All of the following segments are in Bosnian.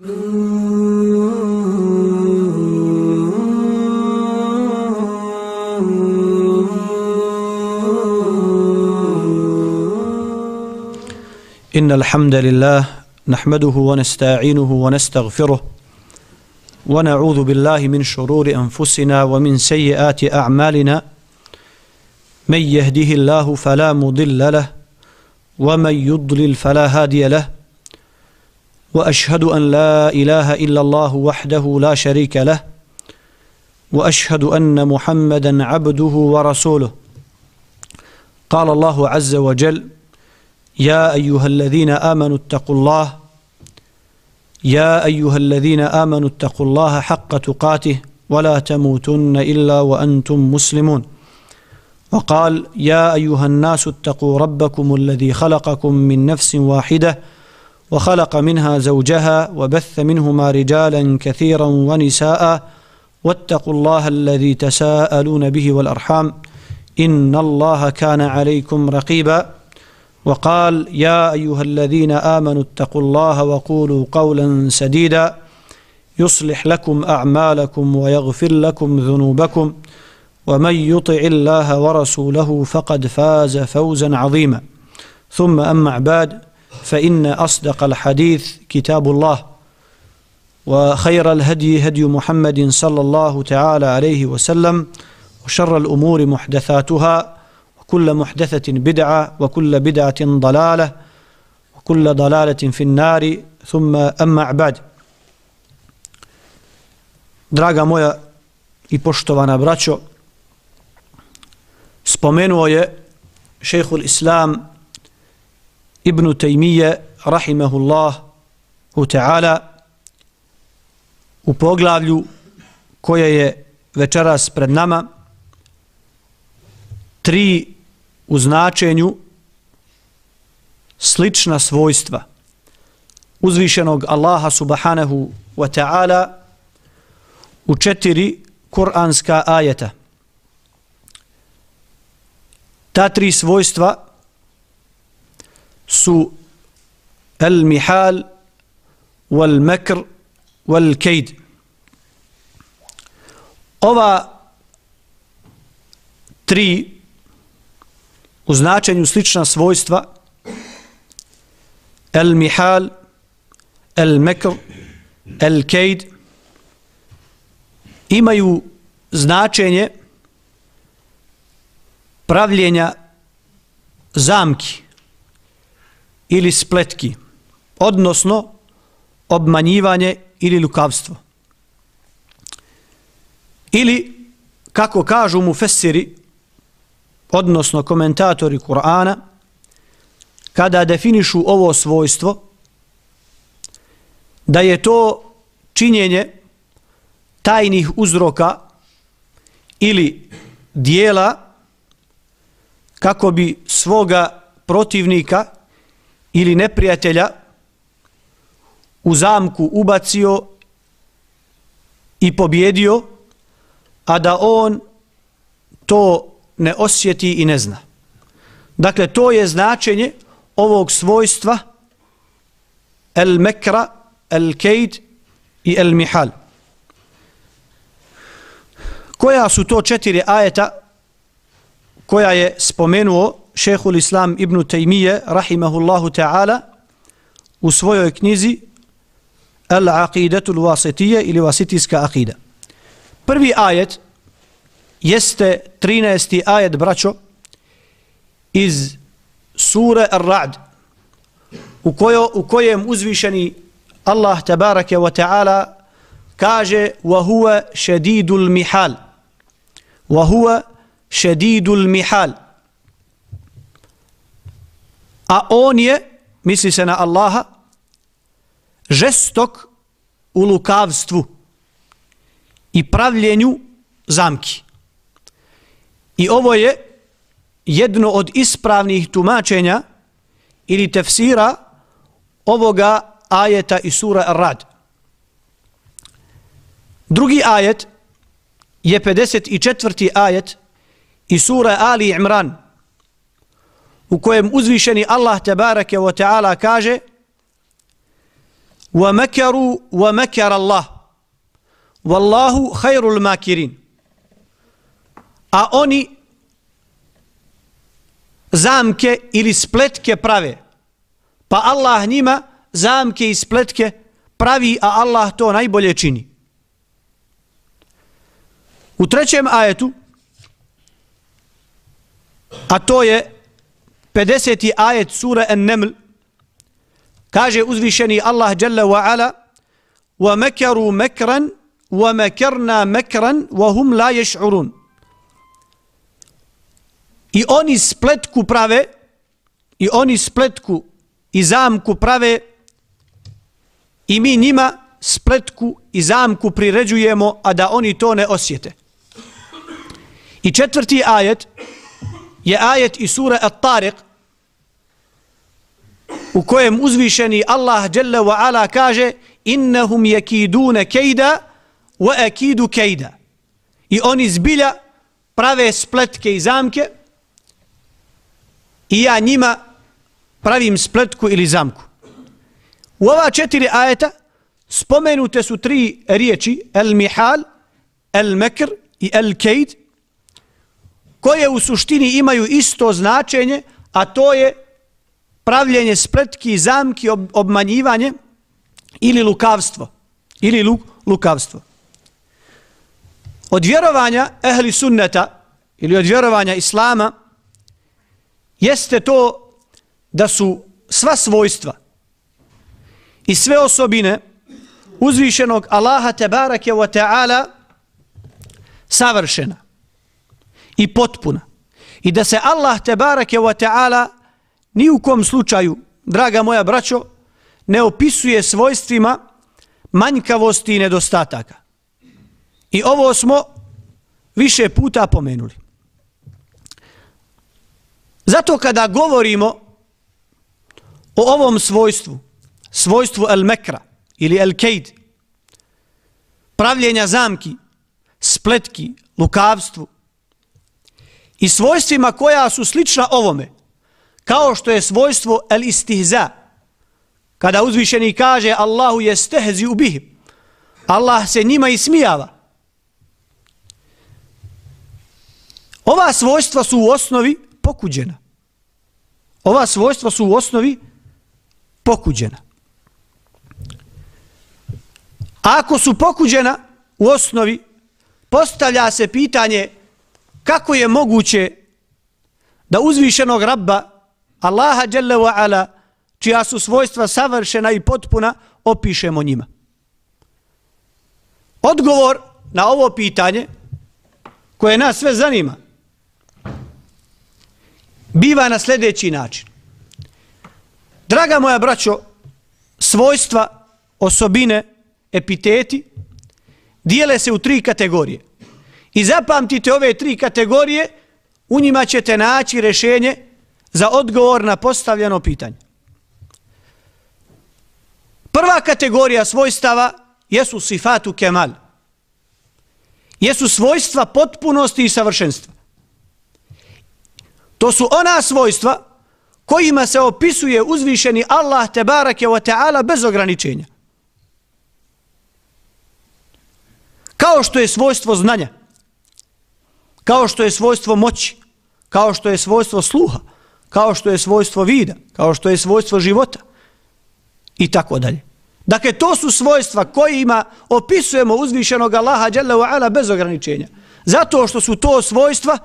إن الحمد لله نحمده ونستعينه ونستغفره ونعوذ بالله من شرور أنفسنا ومن سيئات أعمالنا من يهده الله فلا مضل له ومن يضلل فلا هادي له وأشهد أن لا إله إلا الله وحده لا شريك له وأشهد أن محمدا عبده ورسوله قال الله عز وجل يا أيها الذين آمنوا اتقوا الله يا أيها الذين آمنوا اتقوا الله حق تقاته ولا تموتن إلا وأنتم مسلمون وقال يا أيها الناس اتقوا ربكم الذي خلقكم من نفس واحدة وخلق منها زوجها وبث منهما رجالا كثيرا ونساء واتقوا الله الذي تساءلون به والأرحام إن الله كان عليكم رقيبا وقال يا أيها الذين آمنوا اتقوا الله وقولوا قولا سديدا يصلح لكم أعمالكم ويغفر لكم ذنوبكم ومن يطع الله ورسوله فقد فاز فوزا عظيما ثم أما بعد فإن أصدق الحديث كتاب الله وخير الهدي هدي محمد صلى الله تعالى عليه وسلم وشر الأمور محدثاتها وكل محدثة بدعة وكل بدعة ضلالة وكل ضلالة في النار ثم أما بعد. Draga moja i poštovana braćo, spomenuo je šejhul Islam Ibn Taymije rahimehullahu ta'ala u poglavlju koje je večeras pred nama 3 u značenju slična svojstva uzvišenog Allaha subhanahu wa ta'ala u 4 kuranska ajeta. Ta 3 svojstva su al-mihal wal-makr wal-kaid. Ova 3 u značenju slična svojstva al-mihal, al-makr, al-kaid imaju značenje pravljenja zamki ili spletki, odnosno obmanjivanje ili lukavstvo. Ili, kako kažu mufessiri, odnosno komentatori Kur'ana, kada definišu ovo svojstvo, da je to činjenje tajnih uzroka ili dijela kako bi svoga protivnika ili neprijatelja u zamku ubacio i pobjedio, a da on to ne osjeti i ne zna. Dakle, to je značenje ovog svojstva al-mekra, al-kaid i al-mihal. Koja su to 4 ajeta koja je spomenuo šejhul Islam Ibn Taymije rahimahullahu ta'ala u svojoj knjizi Al-Aqidatul Wasitije ili Wasitijska akida. Prvi ajet jeste 13. ajet, braćo, iz sure Ar-Ra'd, u kojem uzvišeni Allah tabaraka wa ta'ala kaže wa huwa shadidul mihal. Wa huwa shadidul mihal. A on je, misli se na Allaha, žestok u lukavstvu i pravljenju zamki. I ovo je jedno od ispravnih tumačenja ili tefsira ovoga ajeta iz sura Ar-Ra'd. Drugi ajet je 54. ajet iz sura Ali Imran, u kojem uzvišeni Allah tebareke ve taala kaže: وَمَكَرُوا وَمَكَرَ اللَّهُ وَاللَّهُ خَيْرُ الْمَاكِرِينَ. A oni zamke ili spletke prave, pa Allah njima zamke i spletke pravi, a Allah to najbolje čini. U 3. ajetu, a to je 50. ajet sura An-Naml, kaže uzvišeni Allah Jalla wa Ala: وَمَكَرُوا مَكْرًا وَمَكَرْنَا مَكْرًا وَهُمْ لَا يَشْعُرُونَ. I oni spletku prave, i oni spletku i zamku prave, i mi njima spletku i zamku priređujemo, a da oni to ne osjete. I 4. ajet je ajet iz sura At-Tariq, u kojem uzvišeni Allah Jalla wa Ala kaže: innahum yakiduna kejda wa akidu kejda. I oni zbilja prave spletke i zamke, i ja njima pravim spletku ili zamku. U ova 4 ajeta spomenute su 3 riječi: el-mihal, el-mekr i el-kejd, koje u suštini imaju isto značenje, a to je pravljenje spletki i zamki, obmanjivanje ili lukavstvo. Od vjerovanja ehli sunneta ili od vjerovanja islama jeste to da su sva svojstva i sve osobine uzvišenog Allaha tebareke wa ta'ala savršena i potpuna, i da se Allah tebareke wa ta'ala ni u kom slučaju, draga moja braćo, ne opisuje svojstvima manjkavosti i nedostataka. I ovo smo više puta pomenuli. Zato kada govorimo o ovom svojstvu el-mekra ili el-kejd, pravljenja zamki, spletki, lukavstvu, i svojstvima koja su slična ovome, kao što je svojstvo el-istihza, kada uzvišeni kaže Allahu jestehzi ubihim, Allah se njima ismijava. Ova svojstva su u osnovi pokuđena. Ova svojstva su u osnovi pokuđena. A ako su pokuđena u osnovi, postavlja se pitanje kako je moguće da uzvišenog Rabba Allaha Jalla wa Ala, čija su svojstva savršena i potpuna, opišemo njima. Odgovor na ovo pitanje, koje nas sve zanima, biva na sljedeći način. Draga moja braćo, svojstva, osobine, epiteti dijele se u 3 kategorije. I zapamtite ove 3 kategorije, u njima ćete naći rješenje za odgovor na postavljeno pitanje. Prva kategorija svojstava jesu sifatu kemal. Jesu svojstva potpunosti i savršenstva. To su ona svojstva kojima se opisuje uzvišeni Allah tebareke wa ta'ala bez ograničenja. Kao što je svojstvo znanja, kao što je svojstvo moći, kao što je svojstvo sluha, kao što je svojstvo vida, kao što je svojstvo života i tako dalje. Dakle, to su svojstva kojima opisujemo uzvišenog Allaha Jalla wa Ala bez ograničenja. Zato što su to svojstva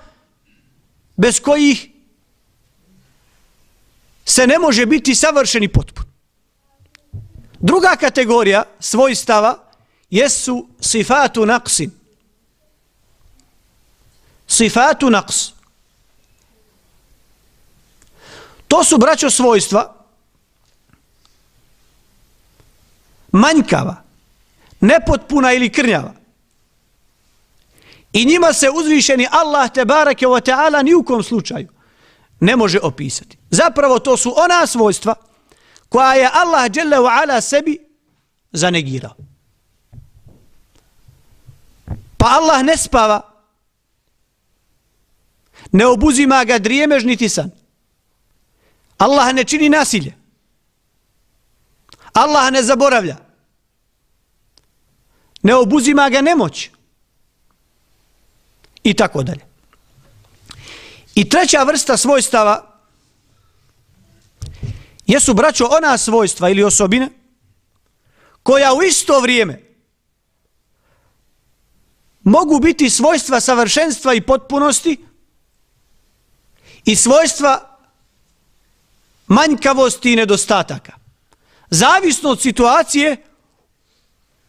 bez kojih se ne može biti savršen i potpun. Druga kategorija svojstava jesu sifatu naqsin. Sifatu naqs. To su, braćo, svojstva manjkava, nepotpuna ili krnjava. I njima se uzvišeni Allah tebareke wa ta'ala ni u kom slučaju ne može opisati. Zapravo to su ona svojstva koja je Allah Jalla wa Ala sebi zanegirao. Pa Allah ne spava, ne obuzima ga drijemež niti san. Allah ne čini nasilje. Allah ne zaboravlja. Ne obuzima ga nemoć. I tako dalje. I treća vrsta svojstava jesu, braćo, ona svojstva ili osobine koja u isto vrijeme mogu biti svojstva savršenstva i potpunosti i svojstva manjkavosti i nedostataka. Zavisno od situacije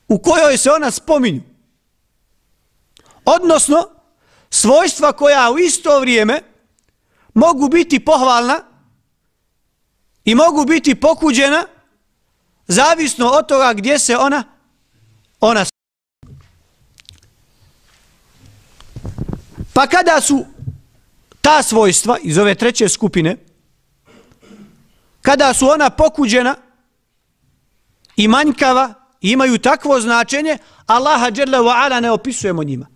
u kojoj se ona spominju. Odnosno, svojstva koja u isto vrijeme mogu biti pohvalna i mogu biti pokuđena zavisno od toga gdje se ona pa kada su ta svojstva iz ove treće skupine, kada su ona pokuđena i manjkava i imaju takvo značenje, Allaha dželle ve ala ne opisujemo njima.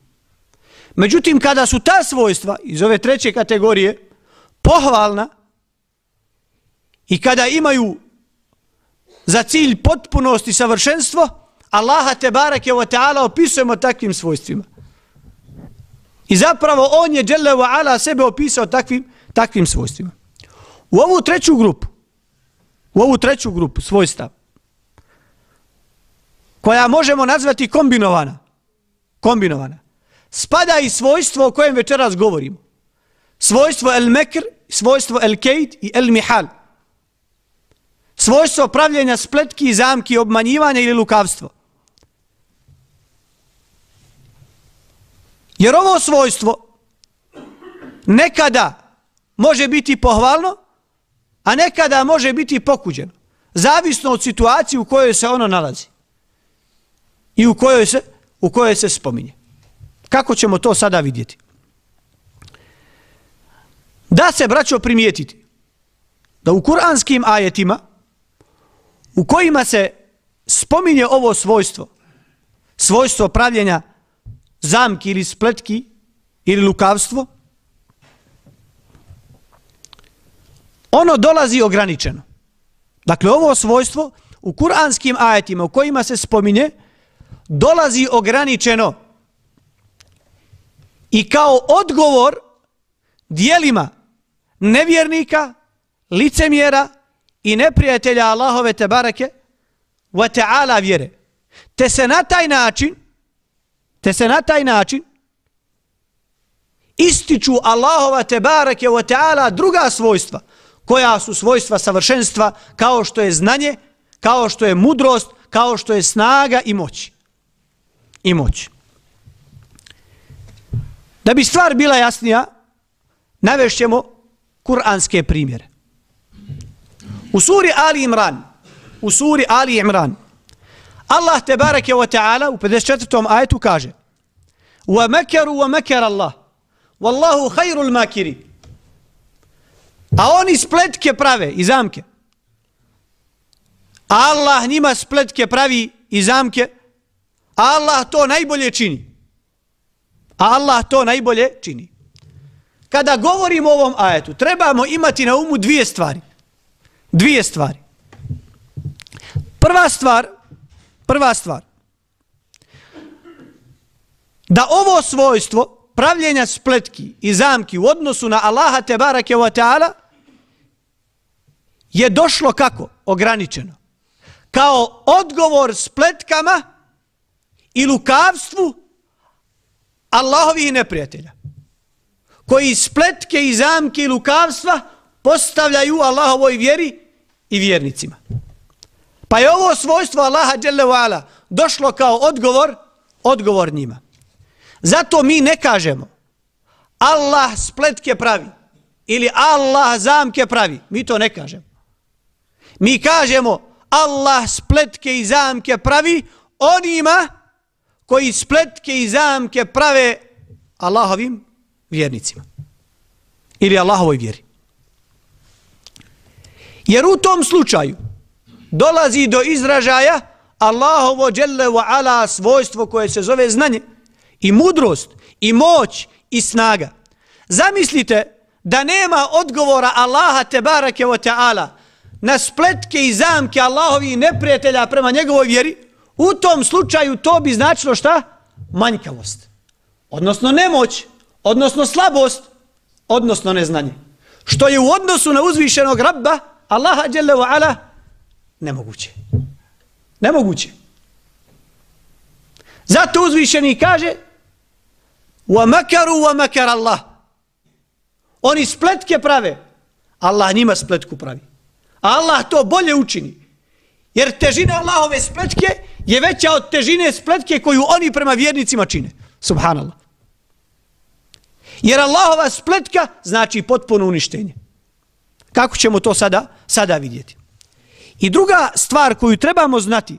Međutim, kada su ta svojstva iz ove treće kategorije pohvalna i kada imaju za cilj potpunost i savršenstvo, Allaha tebareke ve taala opisujemo takvim svojstvima. I zapravo on je dželle ve ala sebe opisao takvim svojstvima. U ovu treću grupu svojstva, koja možemo nazvati kombinovana, spada i svojstvo o kojem večeras govorimo. Svojstvo el-mekr, svojstvo el-kejd i el-mihal. Svojstvo pravljenja spletki, zamki, obmanjivanja ili lukavstvo. Jer ovo svojstvo nekada može biti pohvalno, a nekada može biti pokuđeno. Zavisno od situacije u kojoj se ono nalazi. I u kojoj se spominje. Kako ćemo to sada vidjeti? Da se, braćo, primijetiti da u kuranskim ajetima u kojima se spominje ovo svojstvo pravljenja zamki ili spletki ili lukavstvo, ono dolazi ograničeno. Dakle, ovo svojstvo u kuranskim ajetima u kojima se spominje dolazi ograničeno i kao odgovor dijelima nevjernika, licemjera i neprijatelja Allahove tebareke ve taala vjere. Te se na taj način ističu Allahova tebareke ve taala druga svojstva, koja su svojstva savršenstva, kao što je znanje, kao što je mudrost, kao što je snaga i moć. Da bi stvar bila jasnija, navešćemo kuranske primjere. U suri Ali Imran, Allah tebareke ve taala u 54. ajetu kaže: "Wa makaru wa makara Allah, wallahu khairul makirin." A oni spletke prave i zamke. Allah njima spletke pravi i zamke, a Allah to najbolje čini. Kada govorimo o ovom ajetu, trebamo imati na umu dvije stvari. Prva stvar, da ovo svojstvo pravljenja spletki i zamki u odnosu na Allaha tebareke ve taala je došlo kako? Ograničeno. Kao odgovor spletkama i lukavstvu Allahovih neprijatelja, koji spletke i zamke i lukavstva postavljaju Allahovoj vjeri i vjernicima. Pa je ovo svojstvo Allaha dželle ve ala došlo kao odgovor njima. Zato mi ne kažemo Allah spletke pravi ili Allah zamke pravi. Mi to ne kažemo. Mi kažemo Allah spletke i zamke pravi onima koji spletke i zamke prave Allahovim vjernicima ili Allahovoj vjeri. Jer u tom slučaju dolazi do izražaja Allahovo dželle ve ala svojstvo koje se zove znanje i mudrost i moć i snaga. Zamislite da nema odgovora Allaha tebareke ve taala na spletke i zamke Allahovi neprijatelja prema njegovoj vjeri, u tom slučaju to bi značilo šta? Manjkavost. Odnosno nemoć, odnosno slabost, odnosno neznanje. Što je u odnosu na uzvišenog Rabba, Allaha dželle ve ala, nemoguće. Nemoguće. Zato uzvišeni kaže وَمَكَرُوا وَمَكَرَ اللَّهِ. Oni spletke prave, Allah njima spletku pravi. A Allah to bolje učini. Jer težina Allahove spletke je veća od težine spletke koju oni prema vjernicima čine. Subhanallah. Jer Allahova spletka znači potpuno uništenje. Kako ćemo to sada vidjeti? I druga stvar koju trebamo znati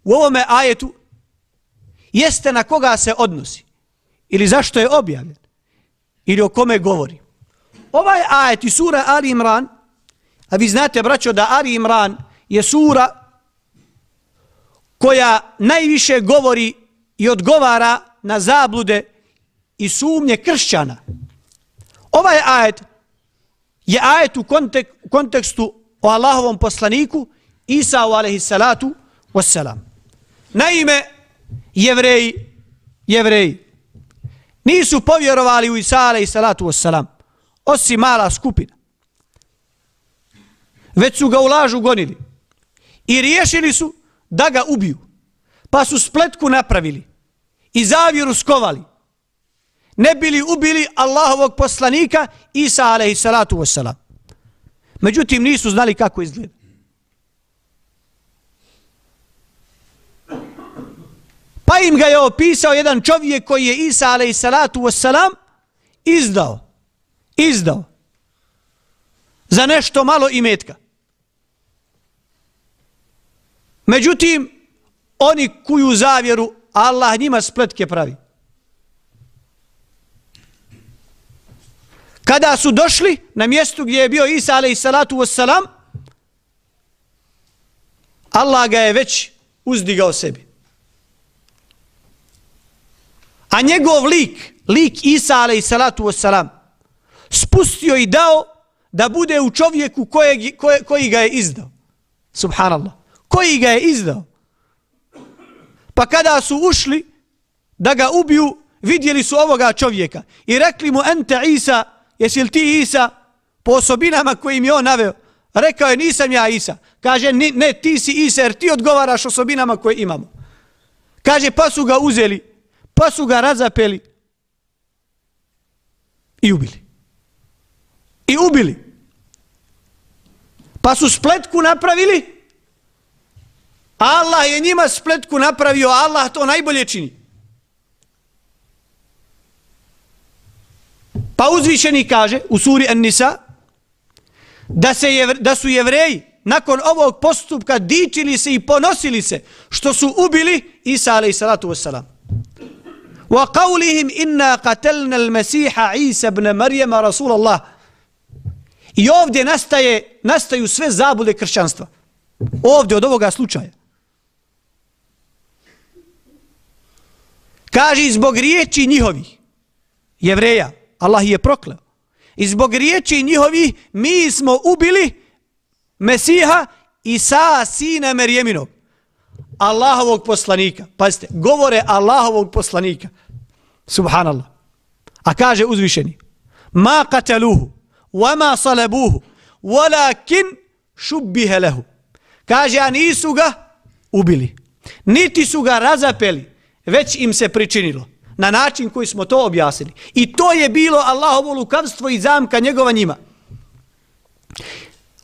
u ovome ajetu jeste na koga se odnosi. Ili zašto je objavljen. Ili o kome govori. Ovaj ajet i sura Ali Imran, a vi znate, braćo, da Ali Imran je sura koja najviše govori i odgovara na zablude i sumnje kršćana. Ovaj ajet je ajet u kontekstu o Allahovom poslaniku Isau alejhi salatu wassalam. Naime, jevreji nisu povjerovali u Isa alejhi salatu wassalam, osim mala skupina. Već su ga u lažu gonili i riješili su da ga ubiju. Pa su spletku napravili i zavjeru skovali. Ne bili ubili Allahovog poslanika Isa alejhi salatu wassalam. Međutim, nisu znali kako izgleda. Pa im ga je opisao jedan čovjek koji je Isa alejhi salatu wassalam izdao za nešto malo imetka. Međutim, oni kuju zavjeru, Allah njima spletke pravi. Kada su došli na mjestu gdje je bio Isa alejhi salatu wassalam, Allah ga je već uzdigao sebi. A njegov lik Isa alejhi salatu wassalam, spustio i dao da bude u čovjeku koji ga je izdao. Subhanallah. Koji ga je izdao. Pa kada su ušli da ga ubiju, vidjeli su ovoga čovjeka i rekli mu: ente Isa, jesi li ti Isa? Po osobinama kojim je on naveo. Rekao je: nisam ja Isa. Kaže: ne, ti si Isa jer ti odgovaraš osobinama koje imamo. Kaže: pa su ga uzeli, pa su ga razapeli i ubili. Pa su spletku napravili, Allah je njima spletku napravio, Allah to najbolje čini. Pa uzvišeni kaže u suri An-Nisa da su Jevreji nakon ovog postupka dičili se i ponosili se što su ubili Isa alejhi salatu wassalam. Wa qawlihim inna qatalna al-Masiha Isa ibn Maryama Rasulallah. I ovdje nastaju sve zablude kršćanstva. Ovdje od ovoga slučaja. Kaže: zbog riječi njihovih Jevreja, Allah je prokleo. I zbog riječi njihovih mi smo ubili Mesiha Isa sina Merjeminog, Allahovog poslanika. Pazite, govore Allahovog poslanika. Subhanallah. A kaže uzvišeni: ma qataluhu wa ma salabuhu walakin shubbiha lahu. Kaže: a nisu ga ubili, niti su ga razapeli, već im se pričinilo. Na način koji smo to objasnili. I to je bilo Allahovo lukavstvo i zamka njegova njima.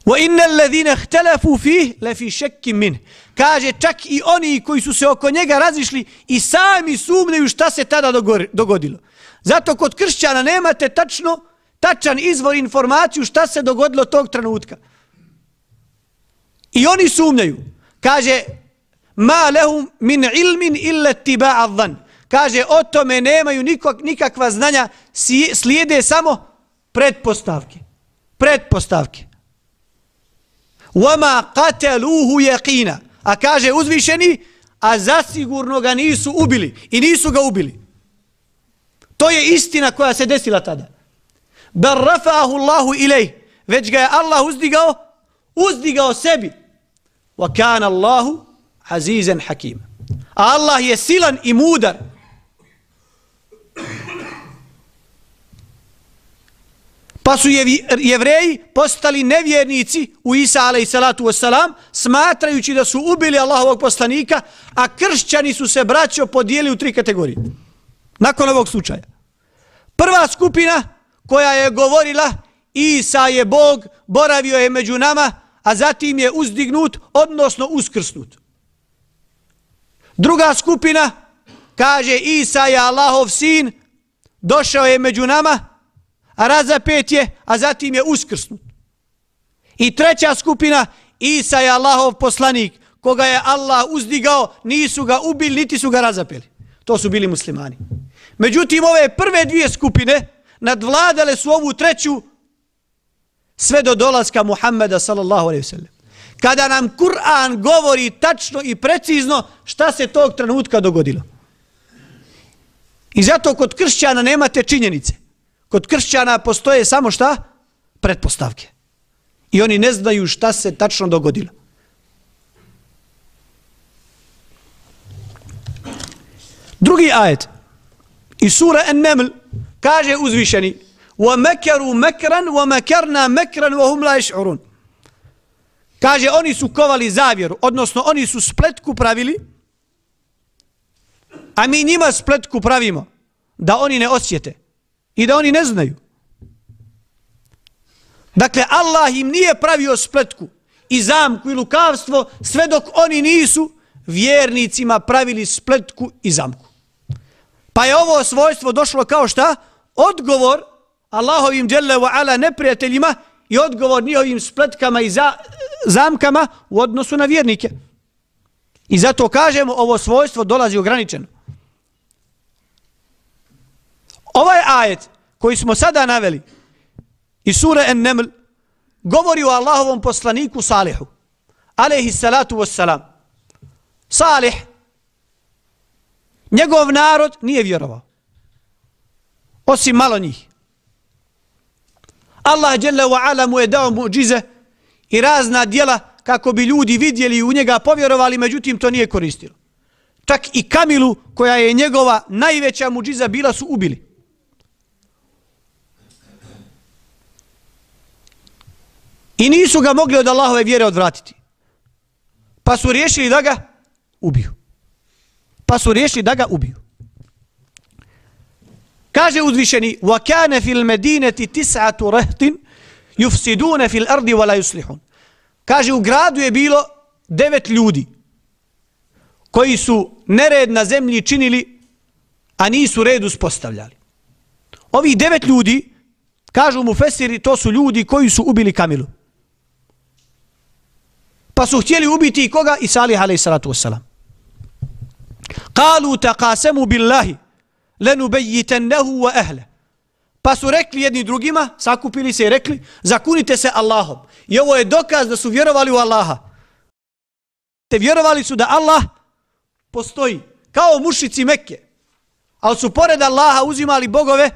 وَإِنَّ الَّذِينَ اخْتَلَفُوا فِيهِ لَفِي شَكٍّ مِّنْهِ. Kaže, čak i oni koji su se oko njega razišli i sami sumnjaju šta se tada dogodilo. Zato kod kršćana nemate tačan izvor informaciju šta se dogodilo tog trenutka. I oni sumnjaju. Kaže: ma lahum min ilmin illa ittiba'a dhann. Kaže: o tome nemaju nikakva znanja, slijede samo pretpostavke. Wama qataluhu yaqina. A kaže uzvišeni: a zasigurno ga nisu ubili i nisu ga ubili. To je istina koja se desila tada. Bar rafa'ahu Allahu ilej. Već ga je Allah uzdigao uzdigao sebi. Wa kana Allahu azizan hakim. A Allah je silan i mudar. Pa su Jevreji postali nevjernici u Isa alejhi salatu vesselam, smatrajući da su ubili Allahovog poslanika, a kršćani su se, braćo, podijelili u 3 kategorije. Nakon ovog slučaja. Prva skupina koja je govorila Isa je Bog, boravio je među nama, a zatim je uzdignut, odnosno uskrsnut. Druga skupina kaže Isa je Allahov sin, došao je među nama, a razapet je, a zatim je uskrsnut. I treća skupina, Isa je Allahov poslanik, koga je Allah uzdigao, nisu ga ubili, niti su ga razapeli. To su bili muslimani. Međutim, ove prve 2 skupine nadvladale su ovu treću sve do dolaska Muhammeda sallallahu alejhi ve sellem. Kada nam Kur'an govori tačno i precizno šta se tog trenutka dogodilo. I zato kod kršćana nemate činjenice. Kod kršćana postoje samo šta? Pretpostavke. I oni ne znaju šta se tačno dogodilo. Drugi ajet iz sura An-Naml kaže uzvišeni: وَمَكَرُوا مَكْرًا وَمَكَرْنَا مَكْرًا وَهُمْ لَا يَشْعُرُونَ. Kaže, oni su kovali zavjeru, odnosno oni su spletku pravili, a mi njima spletku pravimo da oni ne osjete i da oni ne znaju. Dakle, Allah im nije pravio spletku i zamku i lukavstvo sve dok oni nisu vjernicima pravili spletku i zamku. Pa je ovo svojstvo došlo kao šta? Odgovor Allahovim dželle ve ala neprijateljima i odgovor njihovim spletkama i zamkama u odnosu na vjernike. I zato kažemo, ovo svojstvo dolazi ograničeno. Ovaj ajet koji smo sada naveli iz sure An-Naml govori o Allahovom poslaniku Salihu alejhi salatu vesselam. Salih, njegov narod nije vjerovao, osim malo njih. Allah dželle ve ala mu je dao muđize i razna djela kako bi ljudi vidjeli i u njega povjerovali, međutim to nije koristilo. Čak i Kamilu, koja je njegova najveća muđiza bila, su ubili. I nisu ga mogli od Allahove vjere odvratiti. Pa su riješili da ga ubiju. Kaže uzvišeni: وَكَانَ فِي الْمَدِينَةِ 9 رَهْطٍ يُفْسِدُونَ فِي الْأَرْضِ وَلَا يُصْلِحُونَ. Kaže, u gradu je bilo 9 ljudi koji su nered na zemlji činili, a nisu red uspostavljali. Ovih 9 ljudi, kažu mufesiri, to su ljudi koji su ubili Kamilu. Pa su htjeli ubiti i koga? I Salih alejhi salatu vesselam. Qalu taqasamu billahi lenubayyitannahu wa ahlihi. Pa su rekli jedni drugima, sakupili se i rekli: zakunite se Allahom. I ovo je dokaz da su vjerovali u Allaha. Te vjerovali su da Allah postoji, kao mušici Mekke. Ali su pored Allaha uzimali bogove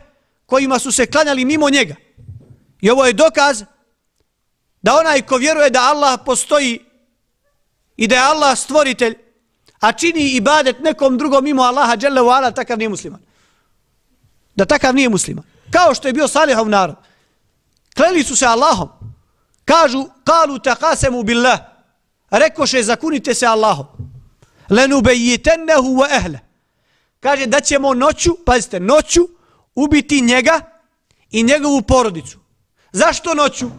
kojima su se klanjali mimo njega. I ovo je dokaz da onaj ko vjeruje da Allah postoji i da je Allah stvoritelj, a čini ibadet nekom drugom mimo Allaha dželle ve ala, takav nije musliman. Da takav nije musliman. Kao što je bio Salihov narod. Kleli su se Allahom. Kažu: qalu taqasamu billah. Rekoše: zakunite se Allahom. Lenubayyitannahu wa ahlihi. Kaže da ćemo noću, pazite, noću ubiti njega i njegovu porodicu. Zašto noću?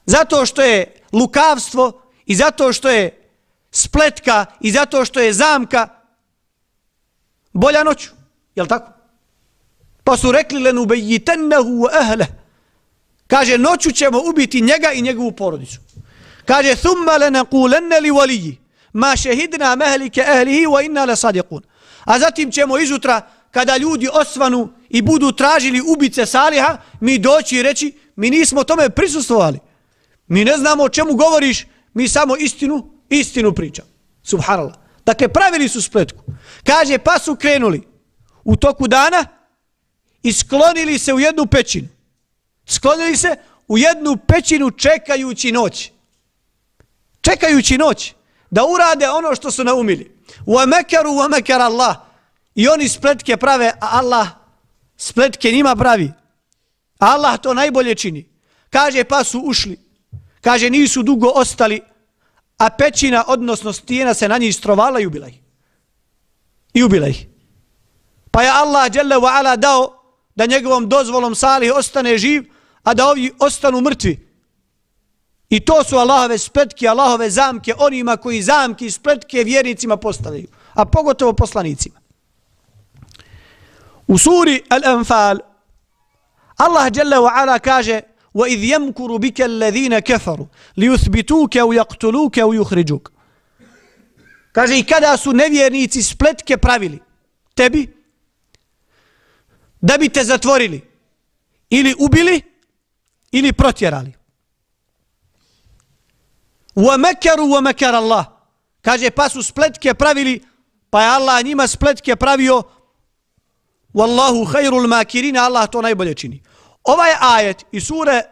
Zato što je lukavstvo i zato što je spletka i zato što je zamka bolja noću. Jel' tako? Pa su rekli: lenubayyitannahu wa ahlihi. Kaže, noću ćemo ubiti njega i njegovu porodicu. Kaže: thumma lanaqulanna li waliyyi ma shahidna mahlika ahlihi wa inna lasadiqun. A zatim ćemo izutra, kada ljudi osvanu i budu tražili ubice Saliha, mi doći i reći: mi nismo tome prisustvovali. Mi ne znamo o čemu govoriš, mi samo istinu pričamo. Subhanallah. Dakle, pravili su spletku. Kaže, pa su krenuli u toku dana i sklonili se u jednu pećinu. Sklonili se u jednu pećinu čekajući noć. čekajući noć da urade ono što su naumili. وَمَكَرُوا وَمَكَرَ اللَّهِ I oni spletke prave, a Allah spletke njima pravi. Allah to najbolje čini. Kaže, pa su ušli. Kaže, nisu dugo ostali, a pećina, odnosno stijena, se na njih strovala i ubila ih. I ubila ih. Pa je Allah dželle wa ala dao da njegovom dozvolom Salih ostane živ, a da ovi ostanu mrtvi. I to su Allahove spletke, Allahove zamke onima koji zamke i spletke vjernicima postavljaju, a pogotovo poslanicima. U suri Al-Anfal Allah dželle wa ala kaže: وَإِذْ يَمْكُرُ بِكَ الَّذِينَ كَفَرُوا لِيُثْبِتُوكَ وَيَقْتُلُوكَ وَيُخْرِجُوكَ. Kaže, i kada su nevjernici spletke pravili tebi da bi te zatvorili ili ubili ili protjerali. وَمَكَرُوا وَمَكَرَ اللَّهِ Kaže, pa su spletke pravili, pa je Allah njima spletke pravio. Wallahu khairul makirin, Allah to najbolje čini. Ovaj ajet iz sure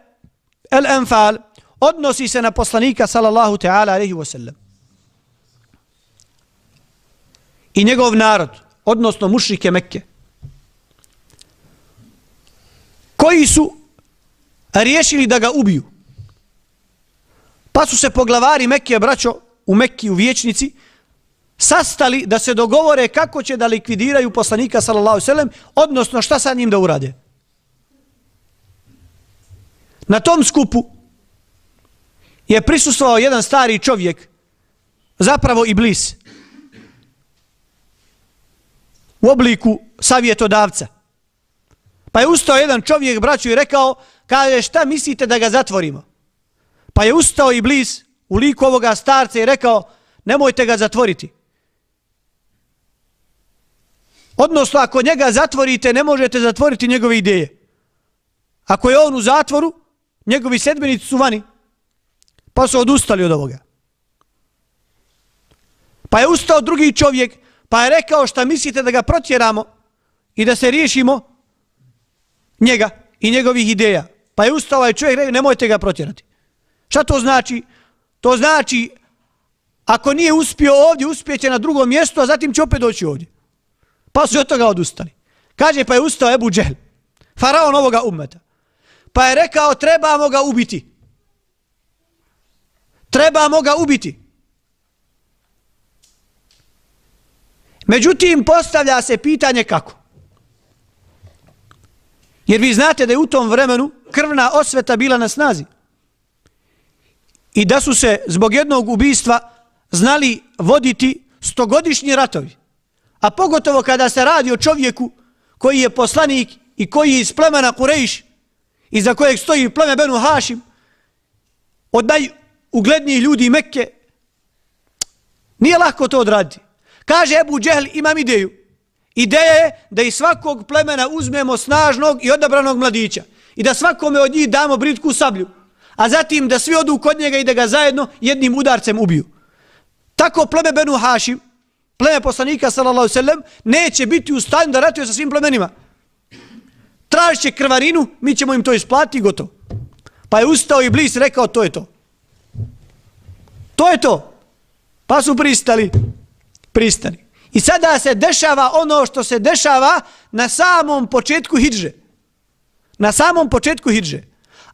Al-Anfal odnosi se na poslanika sallallahu ta'ala alejhi ve sellem i njegov narod, odnosno mušrike Mekke, koji su riješili da ga ubiju. Pa su se poglavari Mekke, braćo, u Mekki, u vijećnici, sastali da se dogovore kako će da likvidiraju poslanika sallallahu alejhi ve sellem, odnosno šta sa njim da urade. Na tom skupu je prisustvovao jedan stari čovjek, zapravo Iblis, u obliku savjetodavca. Pa je ustao jedan čovjek, braću, i rekao, kaže, šta mislite da ga zatvorimo? Pa je ustao Iblis u liku ovoga starca i rekao, nemojte ga zatvoriti. Odnosno, ako njega zatvorite, ne možete zatvoriti njegove ideje. Ako je on u zatvoru, njegovi sedbenici su vani. Pa su odustali od ovoga. Pa je ustao drugi čovjek, pa je rekao, šta mislite da ga protjeramo i da se riješimo njega i njegovih ideja. Pa je ustao ovaj čovjek i rekao, nemojte ga protjerati. Šta to znači? To znači, ako nije uspio ovdje, uspjeće na drugom mjestu, a zatim će opet doći ovdje. Pa su od toga odustali. Kaže, pa je ustao Ebu Džehl, faraon ovoga ummeta. Pa je rekao, trebamo ga ubiti. Trebamo ga ubiti. Međutim, postavlja se pitanje kako. Jer vi znate da je u tom vremenu krvna osveta bila na snazi. I da su se zbog jednog ubistva znali voditi stogodišnji ratovi. A pogotovo kada se radi o čovjeku koji je poslanik i koji je iz plemena Kurejš, iza kojeg stoji pleme Benu Hašim, od najuglednijih ljudi Mekke, nije lako to odraditi. Kaže Ebu Džehl, imam ideju. Ideja je da iz svakog plemena uzmemo snažnog i odabranog mladića i da svakome od njih damo britku sablju, a zatim da svi odu kod njega i da ga zajedno jednim udarcem ubiju. Tako pleme Benu Hašim, pleme poslanika sallallahu alejhi ve sellem, neće biti u stanju da ratuje sa svim plemenima. Tražit će krvarinu, mi ćemo im to isplatiti i gotovo. Pa je ustao Iblis i rekao, to je to. To je to. Pa su pristali. I sada se dešava ono što se dešava na samom početku hidže. Na samom početku hidže.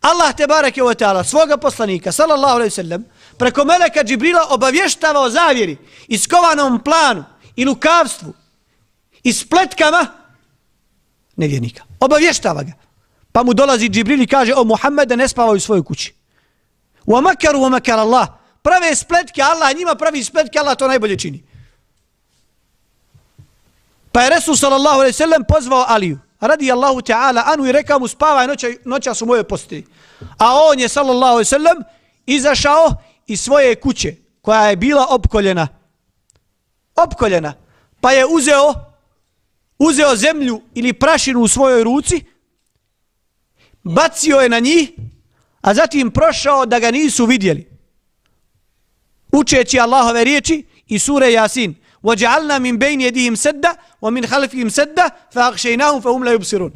Allah tebareke ve taala svoga poslanika sallallahu alejhi ve sellem preko meleka Džibrila obavještava o zavjeri, iskovanom planu i lukavstvu i spletkama nevjernika. Obavještava ga. Pa mu dolazi Džibril i kaže, o Muhammede, ne spavaj u svojoj kući. Wa makaru wa makar Allah. Prave spletke Allah, njima pravi spletke Allah, to najbolje čini. Pa je Resul sallallahu alejhi ve sellem pozvao Aliju radijallahu ta'ala anu i rekao mu, spavaj, noća su moje postelji. A on je sallallahu alejhi ve sellem izašao iz svoje kuće koja je bila opkoljena. Pa je uzeo zemlju ili prašinu u svojoj ruci, bacio je na njih, a zatim prošao da ga nisu vidjeli. Učeći Allahove riječi i sure Jasin. وَجَعَلْنَا مِنْ بَيْنِ يَدِهِمْ سَدَّ وَمِنْ خَلْفِهِمْ سَدَّ فَأَغْشَيْنَاهُمْ فَهُمْ لَا يُبْصِرُونَ.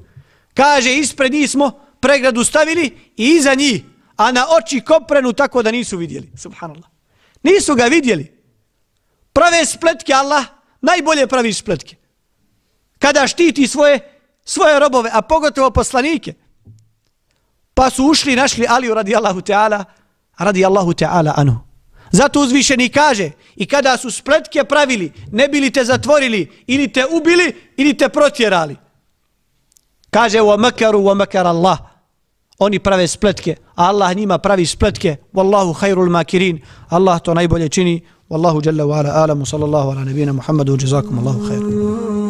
Kaže, ispred njih smo pregradu stavili i iza njih, a na oči koprenu tako da nisu vidjeli. Subhanallah. Nisu ga vidjeli. Prave spletke, Allah najbolje pravi spletke. Kada štiti svoje robove, a pogotovo poslanike. Pa su ušli i našli Aliju radijallahu ta'ala anhu. Zato uzvišeni kaže, i kada su spletke pravili, ne bili te zatvorili, ili te ubili, ili te protjerali. Kaže, وَمَكَرُوا وَمَكَرَ اللَّهِ. Oni prave spletke, a Allah njima pravi spletke. Wallahu khairul makirin. Allah to najbolje čini. Wallahu jalla wa ala alamu sallallahu ala nabina Muhammadu. Jazakum Allahu khairu.